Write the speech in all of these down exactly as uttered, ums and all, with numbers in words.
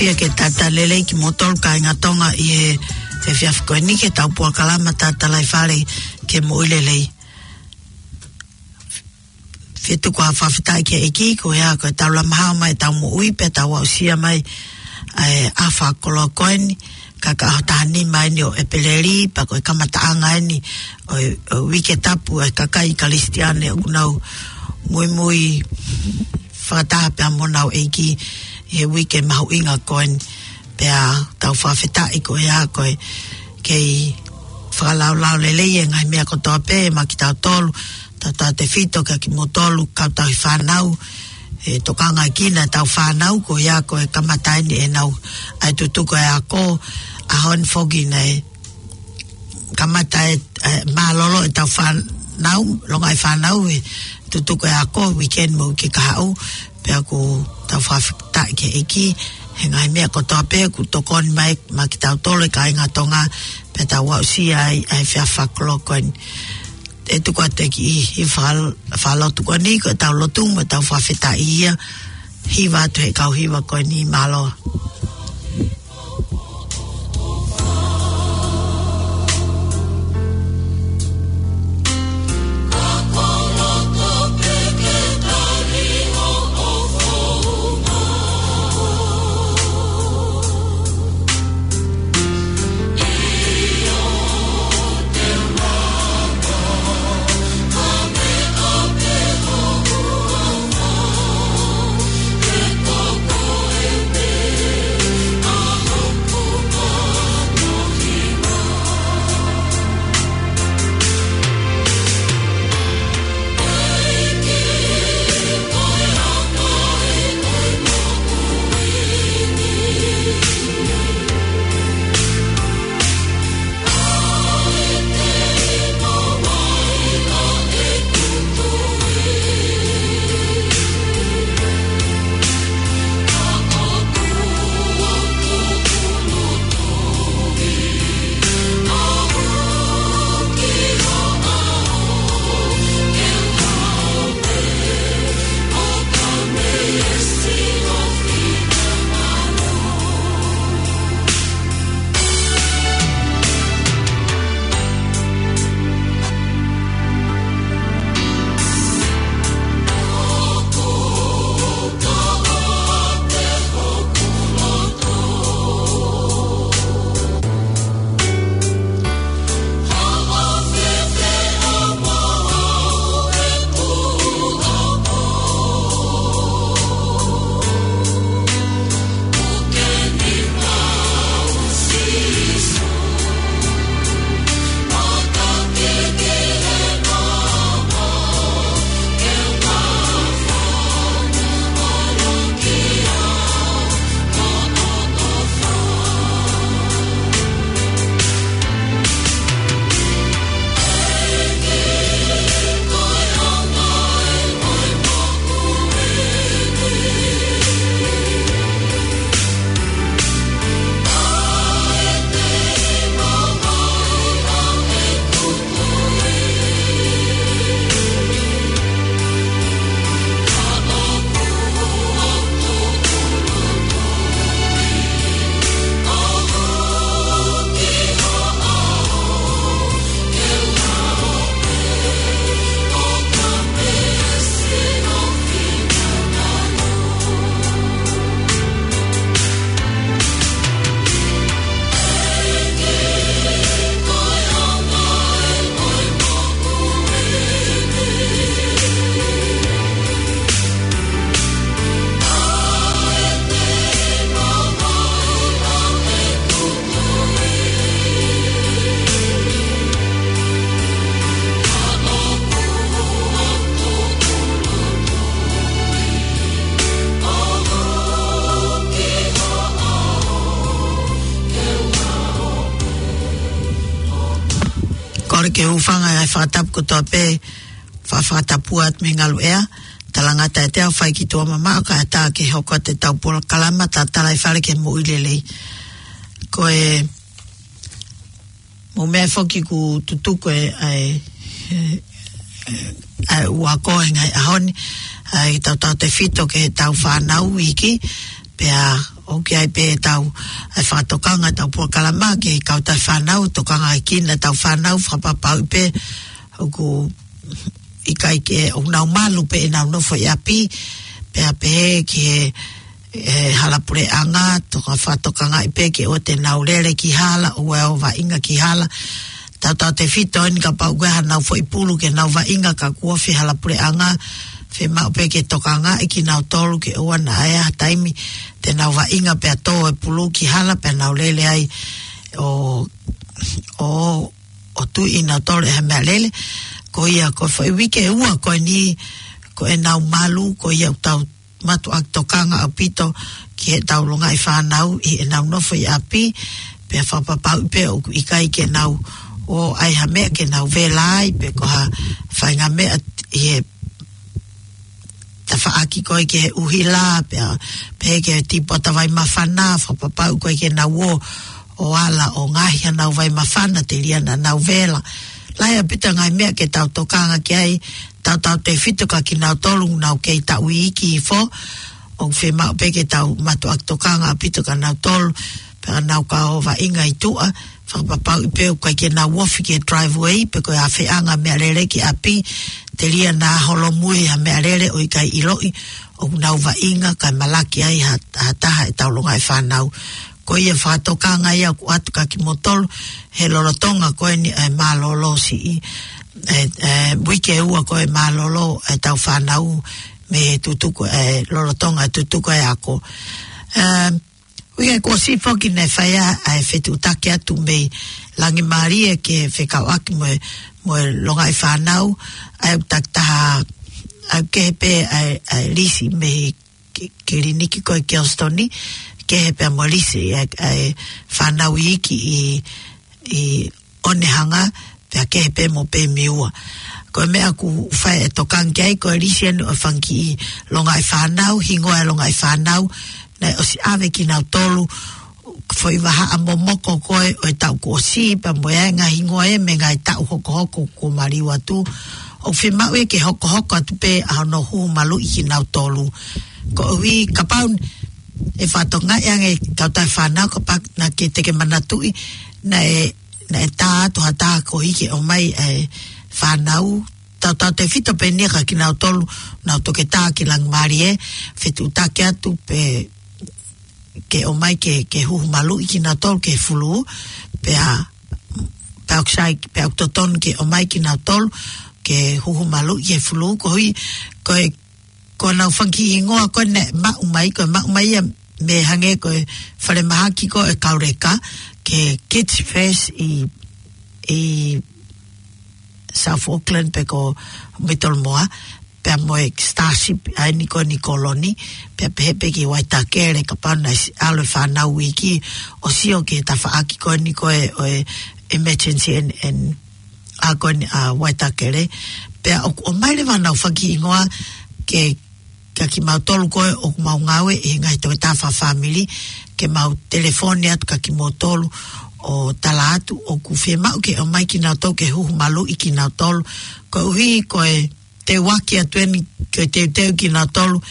Pea ke talitali lelei kimoutolu kāinga Tonga ʻi he efiafi ko eni ki heʻetau polokalama Tatalaifale ki he Moʻui Lelei. Fetuku ʻa e fakafetaʻi ki he ʻEiki, ko ia ko e tau lama hao mai ʻetau moʻui, pea tau aʻusia mai ʻa e ʻaho fakaloko eni, ka ko e ʻaho taha nima eni ʻo ʻEpeleli, pea ko e kamataʻanga eni ʻo e, ʻo e uike tapu ʻa e kakai Kalisitiane ʻoku nau muimui fakataha pea mo honau ʻEiki ʻi he uike mahuʻinga ko eni. Pea tau fakafetaʻi ko ia ko e kei fakalaulauloto lelei e ngaahi meʻa kotoa pē maʻa kitautolu, tautautefito kia kimoutolu kau tauhi fānau, ʻe tokangaʻi kinautolu fānau, ko ia ko e kamata eni ʻenau ʻai tutuku e ako, ʻaho ni foki naʻe kamata e, e mālōlō ʻetau fānau, longaʻi fānau ʻi he tutuku e ako, weekend mo e uike kahaʻu, pea ʻoku tau fakafetaʻi ki he ʻEiki, he ngaahi meʻa kotoa pē ʻoku tokoni mai maʻa kitautolu e kāinga Tonga, pea tau aʻusia ai ʻa e efiafi fakaloko eni. ʻE tuku atu e kiʻi, ʻi fal-, falotu ko eni, ko ʻetau lotu mo ʻetau fakafetaʻi ia, hiva atu he kau hiva ko eni mālō. Kole ke u hūfanga he fakatapu kotoa pē, fa-, fakatapu atu mei he ngaluʻea, talangata ʻiate au fai ki tuʻa mamaʻo kae ʻatā ke hoko atu ʻetau polokalama Tatalaifale ki he Moʻui Lelei. Ko e mou meʻa foki ʻoku tutuku e, ʻa e, ʻa e, ʻa e ako he ngaahi ʻaho ni, ʻa e tautautefito ki heʻetau fānau iiki, pea ʻoku ʻi ai pē ʻetau, ʻa e fakatokanga ʻetau polokalama ki he kautaha fānau, tokangaʻi kinautolu fānau, fakapapauʻi pē ʻoku ʻikai ke ʻoku nau malu pē ʻenau nofo ʻi ʻapi, pea pehē ki he, ʻe, hala puleʻanga, toka fakatokangaʻi pē ke ʻoua te nau lele ki hala, ʻoua ʻe ō vaʻinga ki hala. Tautautefito eni kapau ko e haʻanau foʻi pulu ke nau vaʻinga ka kuo ʻosi hala puleʻanga, fiemaʻu pē ke tokangaʻi kinautolu ke ʻoua naʻa ʻi ai ha taimi te nau vaʻinga pea tō e pulu ki hala pea nau lele ai ʻo, ʻo, ʻo tuʻi kinautolu ʻe ha meʻalele. Ko ia ko e foʻi uike ʻe ua ko eni ko ʻenau malu, ko ia ʻoku tau mātuʻaki tokanga ʻaupito ki heʻetau longaʻi fānau ʻi heʻenau nofo ʻi ʻapi, pea fakapapauʻi pē ʻoku ʻikai ke nau ō ʻai ha meʻa ke nau vela ai, pe ko ha faʻahinga meʻa ʻi he tafaʻaki ko ē ki he ʻuhila, pea, pea ki he tīpota vai māfana, fakapapauʻi ko ē ke nau ō, ʻo ala ʻo ngaohi haʻanau vai māfana, telia naʻa nau vela. Lahi ʻaupito ngaahi meʻa ke tau tokanga ki ai, tautautefito kia kinautolu ʻoku nau kei taʻu iiki hifo, ʻoku fiemaʻu pē ke tau mātuʻaki tokanga ʻaupito kia kinautolu, pea nau ka ō vaʻinga ʻi tuʻa, fakapapauʻi pē ʻoku ʻikai ke nau ofi ki he driveway, pe ko e ʻafeʻanga meʻalele ki ʻapi, telia naʻa holomui ha meʻalele ʻo ʻikai ʻiloʻi ʻoku nau vaʻinga kae malaki ai ha, ha taha ʻetau longaʻi fānau. Ko ia fakatokanga ia ʻoku ʻoatu kia kimoutolu he lolotonga ko eni ʻa e mālōlō siʻi, ʻe, ʻe, uike ʻe ua ko e mālōlō ʻetau fānau mei he tutuku, ʻe, lolotonga e tutuku e ako. ʻE, uike kuo ʻosi foki naʻe fai ai ʻa e fetuʻutaki atu mei Langimālie ke fekauʻaki mo e, mo e longaʻi fānau, ʻa e takitaha, ʻa e kehe pē ʻa e, ʻa e lisi mei he ki-, kiliniki ko ē Kelston, kehe pē mo e lisi ʻa e, ʻa e fānau iiki ʻi, ʻi Onehunga, pea kehe pē mo Pemiua. Ko e meʻa ʻoku fai e tokanga ki ai, ko e lisi eni ʻo e fanga kiʻi longaʻi fānau, hingoa e longaʻi fānau, naʻe ʻosi ʻave kinautolu, foʻi vahaʻa momoko ko ē ʻo e taʻu kuo ʻosi, pea mo e ngaahi hingoa ē mei he ngaahi taʻu hokohoko kuo maliu atu. ʻOku fiemaʻu ia ke hokohoko atu pē ʻa hono huhu maluʻi kinautolu. Koeʻuhi kapau ʻe fakatokangaʻi ange e kautaha fānau, kapau naʻa ke, te ke manatuʻi, naʻe, naʻe tā atu ha taha koeʻuhi ke ʻomai e fānau, tautautefito pē eni ia kia kinautolu ʻoku nau toketā ki Langimālie, fetuʻutaki atu pē ke ʻomai ke, ke huhu maluʻi kinautolu ki he fulū, pea, pea ʻoku sai, pea ʻoku totonu ke ʻomai kinautolu ke huhu maluʻi ki he fulū, koeʻuhi, ko e, ko ʻenau fanga kiʻi hingoa ko ē naʻe maʻu mai, ko e maʻu mai ia mei hangē ko e falemahaki ko ē ʻa e kau leka, ki he Kids First ʻi, ʻi South Auckland pe ko Middlemore, pea mo e Starship ʻa eni ko eni Koloni, pea pehē pē ki Waitakere kapau naʻe ʻosi ʻalu e fānau iiki ʻo sio ki he tafaʻaki ko eni ko ē ʻo e emergency and, and ʻa ko eni ʻa Waitakere, pea ʻoku ʻomai leva ʻenau fanga kiʻi hingoa ke, kia kimautolu ko ē ʻoku mau ngāue ʻi he ngaahi toketā fakafāmili, ke mau telefoni atu kia kimoutolu ʻo tala atu ʻoku fiemaʻu ke ʻomai kinautolu ke huhu maluʻi kinautolu, koeʻuhi ko e teuaki atu eni ke teuteu kinautolu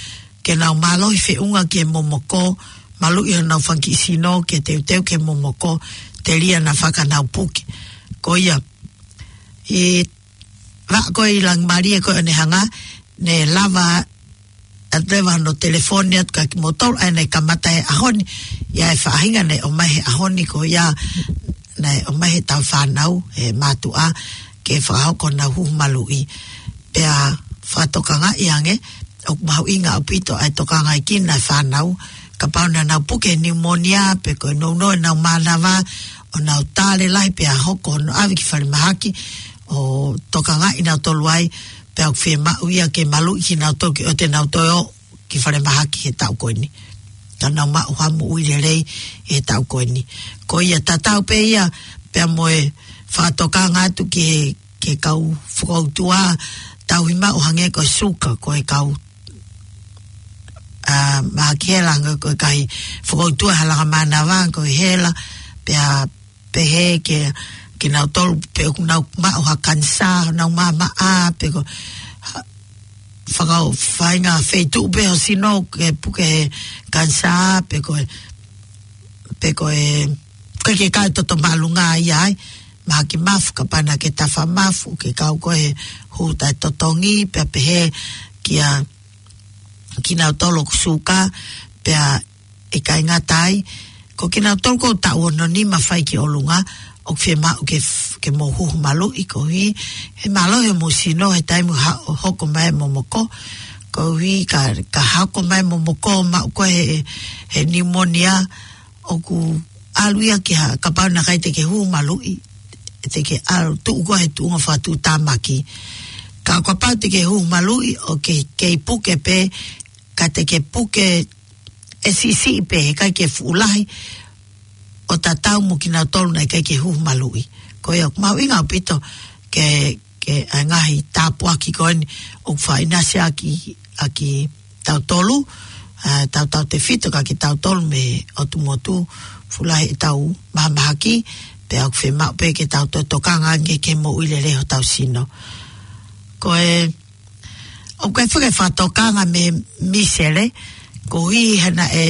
ke nau mālohi feʻunga ki he momoko, maluʻi honau fanga kiʻi sino ke teuteu ki he momoko, telia naʻa fakanau puke. Ko ia, ʻi he vaʻa ko ē ʻi Langimālie ko ē ʻo Onehunga, naʻe lava atu leva hono telefoni atu kia kimoutolu, ʻa ia naʻe kamata he ʻaho ni, ʻi ai e faʻahinga naʻe ʻomai he ʻaho ni ko ia, naʻe ʻomai he tau fānau, he mātuʻa, ke fakahoko honau huhu maluʻi. Pea fakatokangaʻi ange, ʻoku mahuʻinga ʻaupito ʻa e tokangaʻi kinautolu e fānau, kapau naʻa nau puke he pneumonia, pe ko e nounou ʻenau mānava, ʻo nau tā lelahi pea hoko hono ʻave ki falemahaki, ʻo tokangaʻi kinautolu ai, pea ʻoku fiemaʻu ia ke maluʻi kinautolu ke ʻoua te nau toe ō ki falemahaki he taʻu ko eni. Ka nau maʻu ha moʻui lelei he taʻu ko eni. Ko ia tatau pē ia, pea mo e fakatokanga atu ki he, ki he kau fokoutua, tauhi maʻu hangē ko e suka, ko e kau, ʻa, mahaki hela hangē ko e kau fokoutua he langa mānava, ko e hela, pea pehē ke, kinautolu pe ʻoku nau maʻu ha kanisā, nau māmaʻa, pe ko, ha, fakau-, faʻahinga feituʻu pē ho sino ke puke he kanisā, pe ko e pe ko e, ko e ke kau toto māʻolunga ia ai, mahaki mafu, kapau naʻa ke tafa mafu, ke kau ko e hū taʻetotongi, pea pehē kia kinautolu ʻoku suka, pea ʻikai ngata ai, ko kinautolu ʻoku taʻu ono nima fai ki ʻolunga, ʻoku fiemaʻu ke f-, ke mou huhu maluʻi koeʻuhi, he mālohi homou sino he taimi ha-, hoko mai e momoko, koeʻuhi ka, ka hoko mai e momoko, maʻu ko e he, he pneumonia, ʻoku ʻalu ia ke ha, kapau naʻe ʻikai te ke huhu maluʻi, te ke ʻalu tuʻu koe he tuʻunga fakatuʻutāmaki. Ka kapau te ke huhu maluʻi ʻo ke, kei puke pē, ka te ke puke ʻe siʻisiʻi pē, heʻikai ke fuʻu lahi, ʻo tatau mo kinautolu naʻe ʻikai ke huhu maluʻi. Ko ia, mahuʻinga ʻaupito ke, ke ʻa e ngaahi tāpuaki ko eni ʻoku faʻa ʻinasi ʻaki, ʻaki tautolu, ʻa, tautautefito kia kitautolu mei he ʻotu motu, fuʻu lahi ʻetau mahamahaki, pea ʻoku fiemaʻu pē ke tau toe tokanga ange ke moʻui lelei hotau sino. Ko e, ʻoku ʻi ai foki e fakatokanga mei he misele, koeʻuhi he naʻe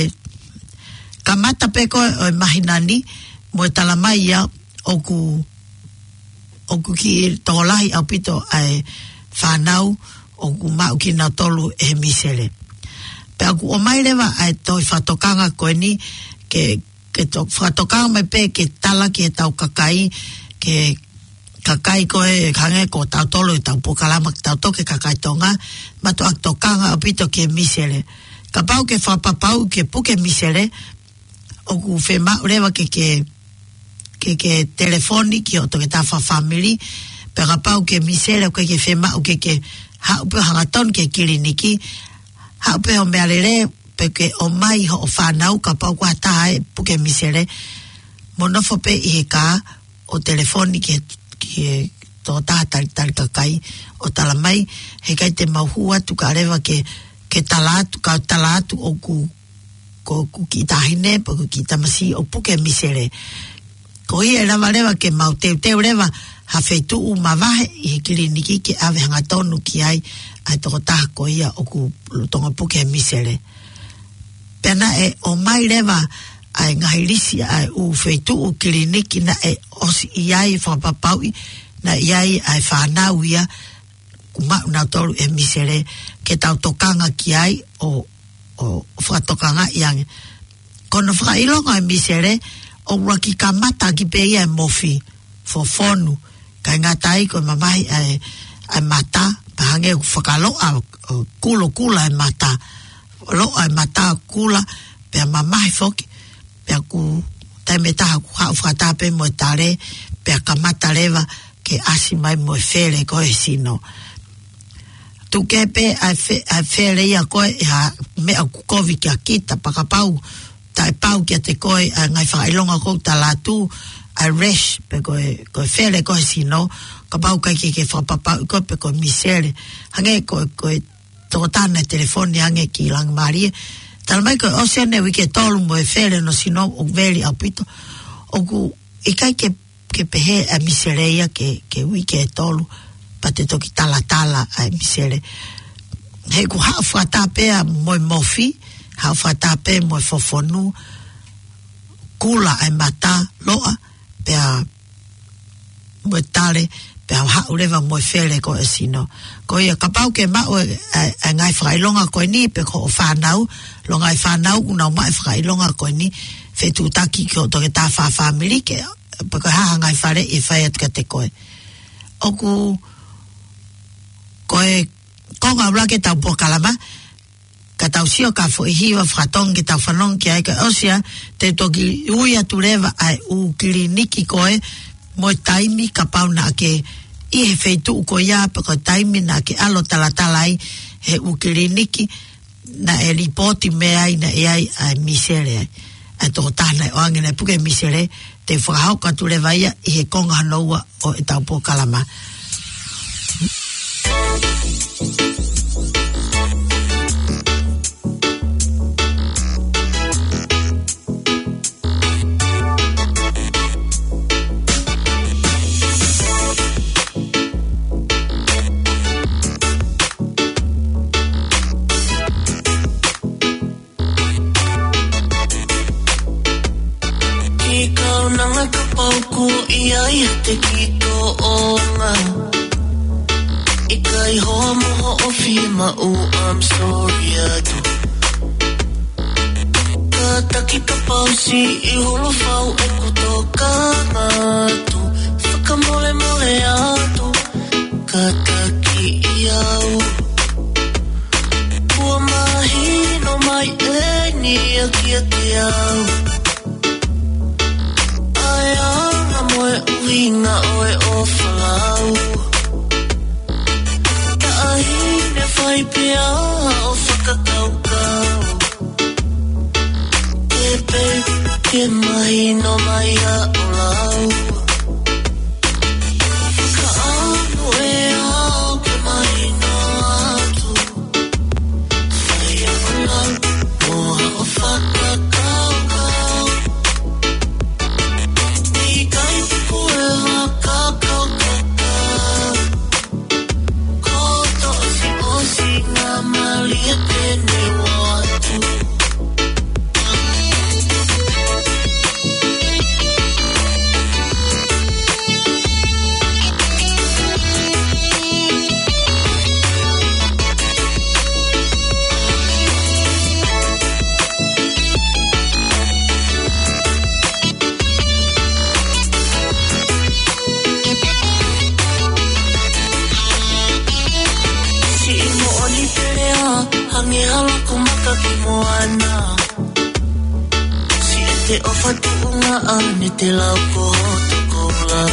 kamata pē ko ē ʻo e māhina ni, mo e tala mai ia ʻoku, ʻoku kiʻi tokolahi ʻaupito ʻa e fānau ʻoku maʻu kinautolu ʻe he misele. Pea ʻoku ʻomai leva ʻa e tohi fakatokanga ko eni ke, ke to-, fakatokanga mai pē ke tala ki heʻetau kakai, ke kakai ko ē hangē ko tautolu ʻetau polokalama ke tau toki kakai Tonga, mātuʻaki tokanga ʻaupito ki he misele. Kapau ke fakapapauʻi ke puke misele, ʻoku fiemaʻu leva ke, ke, ke, ke telefoni ki hoʻo toketā fakafāmili, pea kapau ke misele ʻoku ʻikai ke fiemaʻu ke, ke haʻu pē hangatonu ki he kiliniki, haʻu pē ho meʻalele, pe ke ʻomai hoʻo fānau kapau ko ha taha ʻe puke misele, mo nofo pē ʻi he kā ʻo telefoni ki he, ki he tokotaha talitali kakai ʻo tala mai, heʻikai te mau hū atu kae ʻoua leva ke, ke tala atu, ka tala atu ʻoku, ko ʻeku kiʻi taʻahine, pe ko e kiʻi tamasiʻi ʻoku puke misele. Ko ia ʻe lava leva ke mau teuteu leva ha feituʻu mavahe ʻi he kiliniki ke ʻave hangatonu ki ai ʻa e tokotaha ko ia ʻoku lolotonga puke he misele. Pea naʻe ʻomai leva ʻa e ngaahi lisi ʻa e ʻū feituʻu kiliniki naʻe ʻosi ʻi ai fakapapauʻi, naʻe ʻi ai ʻa e fānau ia ʻoku maʻu nautolu ʻe he misele ke tau tokanga ki ai ʻo, ʻo fakatokangaʻi ange. Ko hono fakaʻilonga e misele, ʻoku ʻuluaki kamata ʻaki pē ia e mofi, fofonu, ʻikai ngata ai ko e mamahi ʻa e, ʻa e mata, pea hangē ʻoku fakaloa, ʻo kulokula e mata, loa e mata kula, pea mamahi foki, pea ʻoku taimi ʻe taha ʻoku haʻu fakataha pē mo e tale, pea kamata leva ke ʻasi mai mo e fele ko ē he sino. Tuku kehe pē ʻa e fe-, ʻa e fele ia ko ē ʻi ha meʻa ʻoku kovi kia kita, pea kapau taʻepau kiate koe ʻa e ngaahi fakaʻilonga ʻoku ou tala atu, ʻa e rash, pe ko e, ko e fele ko ē he sino, kapau ʻikai ke, ke fakapapauʻi koe pe ko e misele. Hangē ko e, ko e tokotaha naʻe telefoni ange ki Langimālie, tala mai ko e ʻosi ʻene uike ʻe tolu mo e fele hono sino ʻoku veli ʻaupito. ʻOku ʻikai ke, ke pehē ʻa e misele ia ke, ke uike ʻe tolu, pea te toki talatala ʻa e misele. He ʻoku haʻu fakataha pē ia mo e mofi, haʻu fakataha pē mo e fofonu, kula ʻa e mata, loa, pea mo e tale, pea haʻu leva mo e fele ko ē he sino. Ko ia kapau ke maʻu e, e, e ngaahi fakaʻilonga ko eni pe ko hoʻo fānau, ʻilonga e fānau ʻoku nau maʻu e fakaʻilonga ko eni, fetuʻutaki ki hoʻo toketā fakafāmili ke, pe ko e hā ha ngaahi faleʻi ʻe fai atu kiate koe. ʻOku, ko e konga ʻuluaki ʻetau polokalama, ka tau sio ki ha foʻi hiva fakatonga ke tau fanongo ki ai kae ʻosi ia, te u toki ui atu leva ʻa e ʻū kiliniki ko ē mo e taimi kapau naʻa ke ʻi he feituʻu ko ia pe ko e taimi naʻa ke ʻalu ʻo talatala ai he ʻū kiliniki naʻe lipooti mei ai naʻe ʻi ai ʻa e misele ai. ʻA e tokotaha naʻe ʻoange naʻe puke misele, te u fakahoko atu leva ia ʻi he konga hono ua ʻo ʻetau polokalama. e ki toʻonga. ʻIkai hoa mo hoʻo fiemaʻu, I'm sorry atu. Kātaki kapau siʻi hulu fau ʻeku tokanga atu. Fakamolemole atu, kātaki au. Kuo mahino mai ʻeni ia kiate au. ʻA e anga mo e ʻuhinga ʻo e ʻofa lau. Taʻahine fai pea ʻo fakakaukau. Ke pē, ke mahino mai ʻa ʻolau. Ka ʻamu ē au ke mahino atu. Fai ʻa ʻolau, mo haʻo fakakaukau. ʻIkai ke kue fakakaukau. Ko toʻo si o si ngā mali e pene watu. Siʻi moʻoni pele ā, hangē ha laku maka ki moana. Siʻete ʻofa tuʻunga ʻa ne te lau ko hoto koula.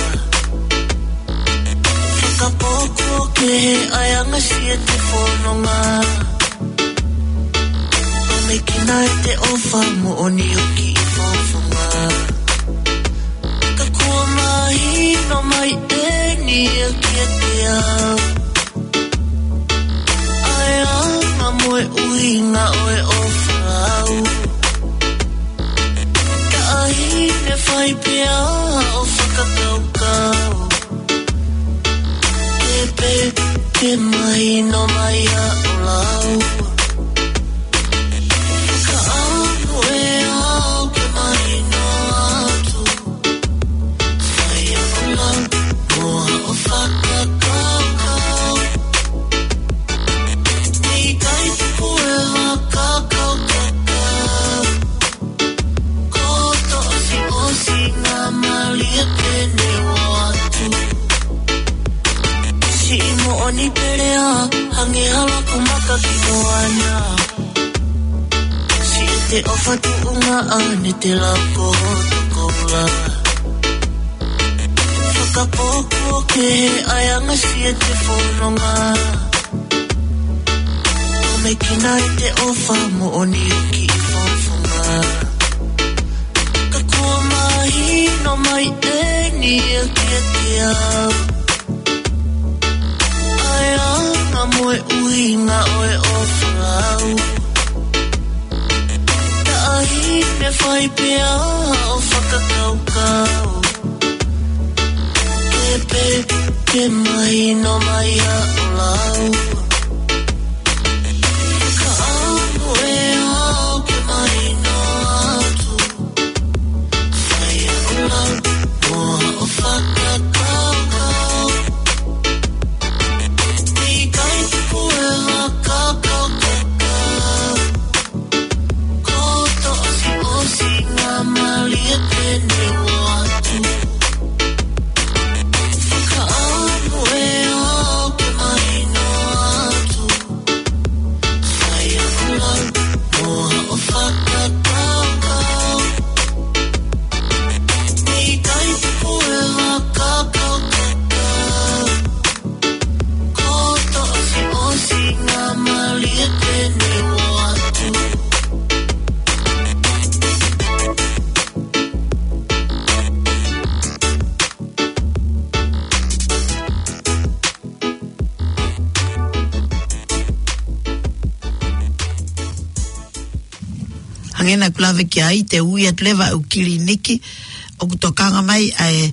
Fakapō kuo kehe ʻa e anga siʻete fononga. ʻO mekina ʻete ʻofa moʻoni ʻo kiʻi fofonga. Ka kuo mahino mai ʻeni ia kiate au. ʻA e anga mo e ʻuhinga ʻo e ʻofa lau. Taʻahine fai pea ʻo fakakaukau. Ke pē, ke mahino mai ʻa ʻolau. Ka ʻamu ē au ke mahino atu. Fai ʻa ʻolau, mo haʻo fakakaukau. ʻIkai ke kue fakakaukau. Ko toʻo si o si ngā mali e pene watu. Siʻi moʻoni pele ā, hangē ha laku maka ki moana. Siʻete ʻofa tuʻunga ʻa ne te lau ko hoto koula. Fakapō kuo kehe ʻa e anga siʻete fononga. ʻO mekina ʻete ʻofa moʻoni ʻo kiʻi fofonga. Ka kuo mahino mai ʻeni ia kiate au. ʻA e anga mo e ʻuhinga ʻo e ʻofa lau. Taʻahine fai pea ʻo fakakaukau. Ke pē, ke mahino mai ʻa ʻolau. Ka ʻamu ē au ke mahino atu. Fai ʻa ʻolau, mo haʻo fakakaukau. ʻIkai ke kue fakakaukau. Ko toʻo si o si ngā mali e pene watu. Ka ʻamu ē au ke mahino atu. Fai ʻa ʻolau, mo haʻo fakakaukau. ʻIkai ke kue fakakaukau. Ko toʻo si o si ngā mali e pene watu. Hangē naʻa ku lave ki ai, te u ui atu leva ʻeku kiliniki, ʻoku tokanga mai ʻa e,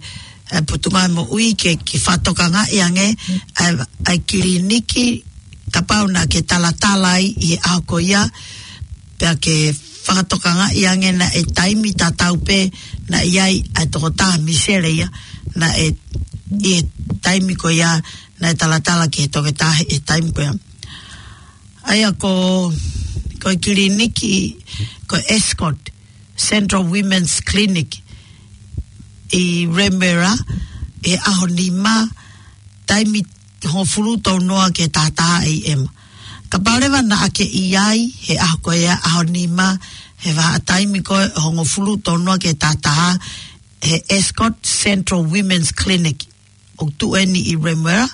ʻa e Potungāue Moʻui ke, ke fakatokangaʻi ange ʻa e, ʻa e kiliniki, kapau naʻa ke talatala ai ʻi he ʻaho ko ia, pea ke fakatokangaʻi ange naʻe taimi tatau pē naʻe ʻi ai ʻa e tokotaha Misele ia, naʻe ʻi he taimi ko ia naʻe talatala ki he toketā he taimi ko ia. ʻA ia ko, ko e kiliniki, ko Ascot Central Women's Clinic ʻi Remuera, ʻi he ʻaho nima, taimi hongofulu tolu noa ki he taha taha A M. Kapau leva naʻa ke ʻi ai he ʻaho ko ia, ʻaho nima, he vahaʻa taimi ko ē hongofulu tolu noa ki he taha taha, he Ascot Central Women's Clinic, ʻoku tuʻu eni ʻi Remuera,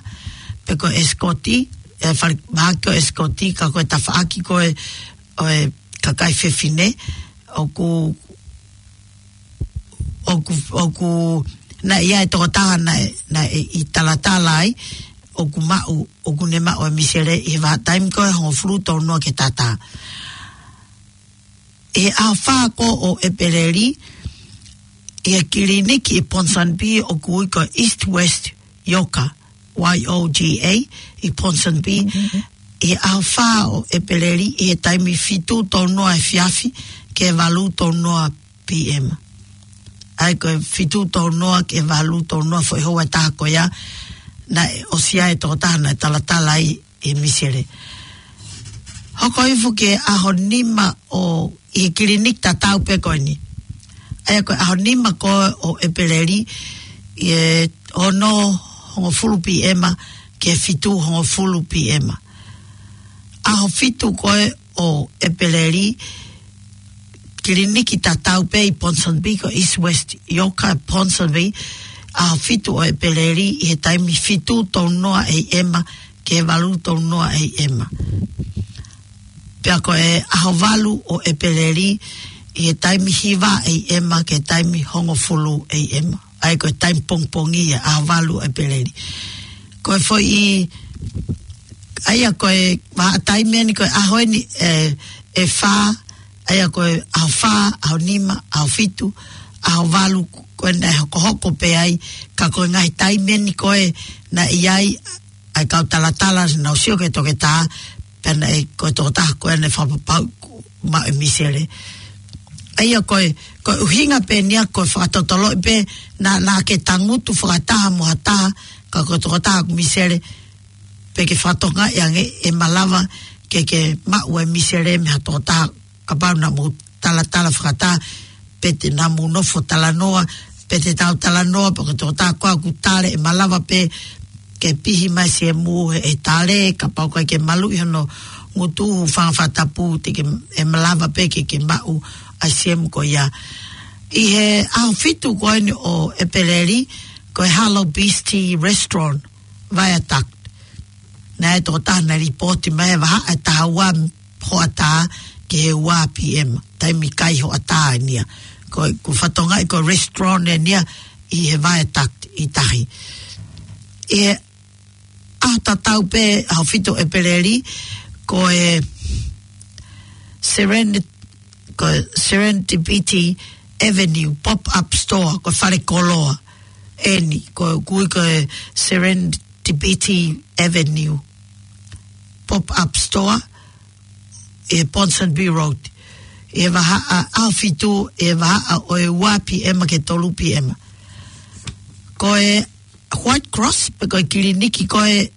pe ko Ascot, e fale mahaki ko Ascot, ka ko e tafaʻaki ko ē ʻo e kakai fefine, ʻoku, ʻoku, ʻoku, naʻe ʻi ai e tokotaha naʻe, naʻe ʻi talatala ai, ʻoku maʻu, ʻoku ne maʻu e misele ʻi he vahaʻa taimi ko ē hongofulu tolu noa ki he taha taha. ʻI he ʻaho fā ko ē ʻo ʻEpeleli, ʻi he kiliniki ʻi Ponsonby ʻoku ui ko East West Yoga, Y O G A, ʻi Ponsonby, ʻi he ʻaho fā ʻo ʻEpeleli, ʻi he taimi fitu tolu noa efiafi ki he valu tolu noa P M. ʻA ia ko e fitu tolu noa ki he valu tolu noa foʻi houa ʻe taha ko ia, naʻe ʻosi ʻi ai e tokotaha naʻe talatala ai e misele. Hoko hifo ki he ʻaho nima ʻo, ʻi he kiliniki tatau pē ko eni. ʻA ia ko e ʻaho nima ko ē ʻo ʻEpeleli, ʻi he ono hongofulu P M ki he fitu hongofulu P M. ʻAho fitu ko ē ʻo ʻEpeleli, kiliniki tatau pē ʻi Ponsonby, ko East West Yoga Ponsonby, ʻaho fitu ʻo ʻEpeleli ʻi he taimi fitu tolu noa A M ki he valu tolu noa A M. Pea ko e ʻaho valu ʻo ʻEpeleli ʻi he taimi hiva A M ki he taimi hongofulu A M. ʻA ia ko e taimi pongipongi ia, ʻaho valu ʻo ʻEpeleli. Ko e foʻi, ʻa ia ko e vahaʻa taimi eni ko e ʻaho eni, e, ʻe fā, ʻa ia ko e ʻaho fā, ʻaho nima, ʻaho fitu, ʻaho valu, ko ena ʻe hokohoko pē ai, ka ko e ngaahi taimi eni ko ē naʻe ʻi ai ʻa e kau talatala naʻa nau sio ki he toketā, pea naʻe ko e tokotaha ko ē naʻe fakapapauʻi kuo maʻu e misele. ʻA ia ko e, ko e ʻuhinga pē eni ia ko e fakatotoloʻi pē naʻa, naʻa ke tangutu fakataha mo ha taha, ka ko e tokotaha ʻoku misele, pea ke fakatokangaʻi ange ʻe malava ke ke maʻu e misele mei ha tokotaha kapau naʻa mou talatala fakataha, pe te naʻa mou nofo talanoa, pe te tau talanoa, pe ko e tokotaha ko ē ʻoku tale, ʻe malava pē ke pihi mai siemu he, he tale, kapau ʻoku ʻikai ke maluʻi hono ngutu, hūfanga he fakatapu, te ke, ʻe malava pē ke ke maʻu ʻa e siemu ko ia. ʻI he ʻaho fitu ko eni ʻo ʻEpeleli, ko e Hello Beastie Restaurant, Viaduct. Naʻe tokotaha naʻe lipooti mai he vahaʻa ʻe taha ua hoʻatā ki he ua P M. Taimi kai hoʻatā eni ia. Ko, ko e fakatokangaʻi ko e restaurant eni ia ʻi he Viaduct ʻi tahi. ʻI he ʻaho tatau pē, ʻaho fitu ʻEpeleli, ko e Seren-, ko e Serendipity Avenue Pop-Up Store, ko e fale koloa eni, ko e ʻoku ui ko e Serendipity Avenue Pop-Up Store, ʻi Ponsonby Road, ʻi he vahaʻa, ʻaho fitu, ʻi he vahaʻa ʻo e ua P M ki he tolu P M. Ko e White Cross, pe ko e kiliniki ko ē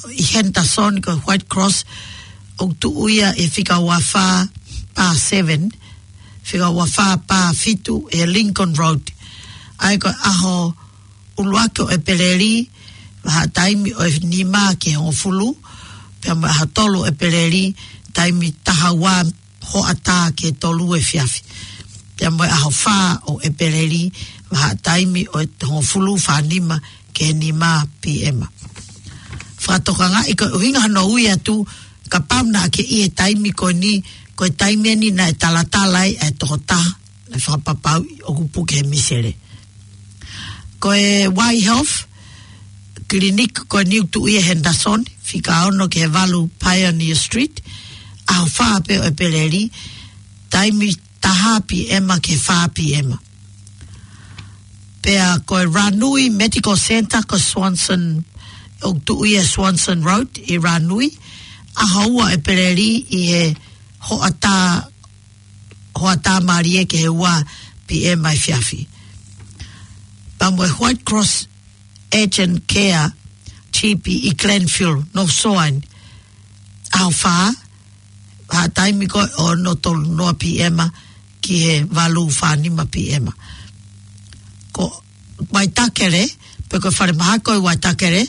ʻi Henderson, ko e White Cross, ʻoku tuʻu ia ʻi he fika ua fā pā seven, fika ua fā pā fitu ʻi he Lincoln Road. ʻA ia ko e ʻaho ʻuluaki ʻo ʻEpeleli, vahaʻa taimi ʻo e nima ki he hongofulu, pea mo e ʻaho tolu ʻo ʻEpeleli, taimi taha ua hoʻatā ki he tolu efiafi. Pea mo e ʻaho fā ʻo ʻEpeleli, vahaʻa taimi ʻo e hongofulu fā nima ki he nima P M. Fakatokangaʻi ko e ʻuhinga hono ui atu, kapau naʻa ke ʻi he taimi ko eni, ko e taimi eni naʻe talatala ai e tokotaha naʻe fakapapauʻi ʻoku puke he misele. Ko e Y Health Clinic ko eni ʻoku tuʻu ʻi Henderson, fika ono ki he valu Pioneer Street, ʻaho fā pē ʻo ʻEpeleli, taimi taha P M ki he fā P M. Pea ko e Ranui Medical Centre ko Swanson, ʻoku tuʻu ʻi Swanson Road ʻi Ranui, ʻaho ua ʻo ʻEpeleli ʻi he hoʻatā Hoʻatā mālie ki he ua P M ʻa efiafi. Pea mo e White Cross Urgent Care G P ʻi Glenville, North Shore, ʻaho fā, ha taimi ko ē ʻo e ono tolu noa P M ki he valu fā nima P M. Ko Waitakere, pe ko e falemahaki ʻi Waitakere,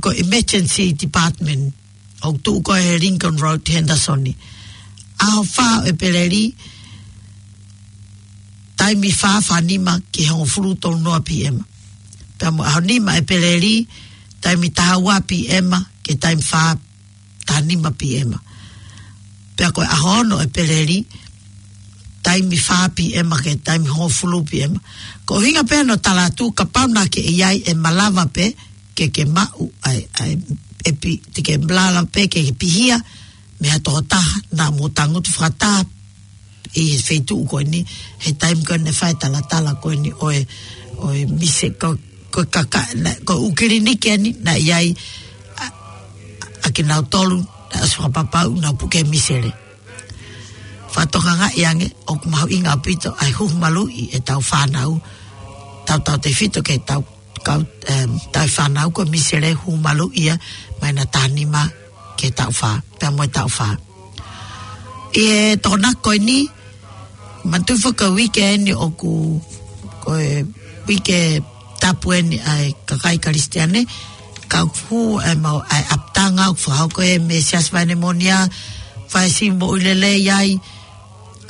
ko e Emergency Department, ʻoku tuʻu ko ē he Lincoln Road, Henderson. ʻAho fā ʻo ʻEpeleli, taimi fā fā nima ki he hongofulu tolu noa P M. Pea mo e ʻaho nima ʻo ʻEpeleli, taimi taha ua P M ki he taimi fā taha nima P M. Pea ko e ʻaho ono ʻo ʻEpeleli, taimi fā P M ki he taimi hongofulu P M. Ko e ʻuhinga pē ʻo e tala atu, kapau naʻa ke ʻi ai, ʻe malava pē ke ke maʻu ʻa e, ʻa e, ʻe pi-, te ke malava pē ke ke pihia mei ha tokotaha naʻa mou tangutu fakataha ʻi he feituʻu ko eni, he taimi ko ē naʻe fai e talatala ko eni ʻo e, ʻo e mise ko, ko e kaka, naʻe, ko e ʻū kiliniki eni naʻe ʻi ai ʻa, ʻa kinautolu naʻe ʻosi fakapapauʻi ʻoku nau puke misele. Fakatokangaʻi ange ʻoku mahuʻinga ʻaupito ʻa e huhu maluʻi ʻetau fānau, tautautefito ki heʻetau kau, em, tauhi fānau, ko e misele, huhu maluʻi ia mei he taʻu nima ki he taʻu fā, pea mo e taʻu fā. ʻI he Tokonaki ko eni, manatuʻi foki ko e uike eni ʻoku, ko e uike tapu eni ʻa e kakai Kalisitiane, ka ʻoku hū e mau, ʻa e ʻapitanga, ʻoku fakahoko ʻe he Siasi Vaine Moʻonia, fai sivi moʻui lelei ai,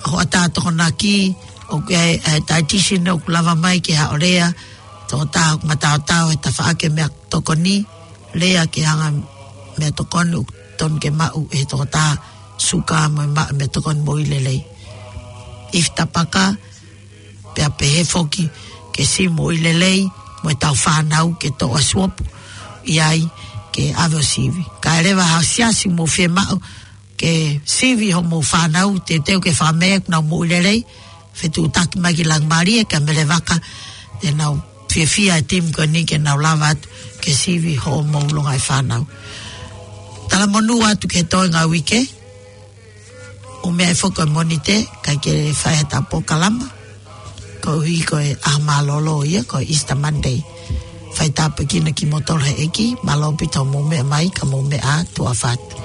hoʻatā Tokonaki, ʻoku ʻi ai e, e dietitian ʻoku lava mai ke haʻo lea, tokotaha ʻoku mataotao he tafaʻaki e meʻatokoni, lea ke hanga e meʻatokoni ʻoku totonu ke maʻu ʻe he tokotaha, suka mo e maʻu e meʻatokoni moʻui lelei. Ifi tapaka, pea pehē foki ke sivi moʻui lelei mo ʻetau fānau, ke toʻo ʻa e suopu ʻi ai ke ʻave ʻo sivi. Kae ʻoua ha siasi mou fiemaʻu ke sivi hoʻomou fānau, teuteu ke fakameʻa ʻoku nau moʻui lelei, fetuʻutaki mai ki Langimalie, kia Mele Vaka, te nau fiefia e timi ko eni ke nau lava atu ke sivi hoʻomou longaʻi fānau. Talamonū atu ki he toenga uike, ʻū meʻa ʻe foki ʻo e Mōnite, ʻikai ke fai ha polokalama, koeʻuhi ko e ʻaho mālōlō ia, ko e Easter Monday. Fai tāpuekina kimoutolu ʻe he ʻEiki, mālō ʻaupito hoʻomou meʻa mai, ka mou meʻa ā, tuʻa ʻofa atu.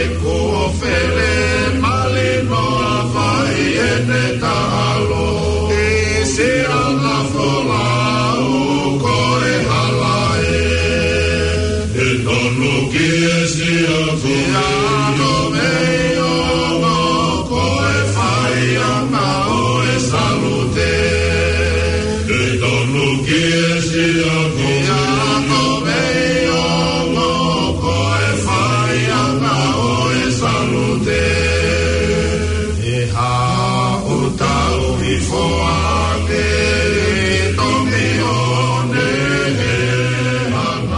E ko fele malino a fai ʻene taʻalo. E se ana folau ko e hala ē. E tonu ki e sia ko e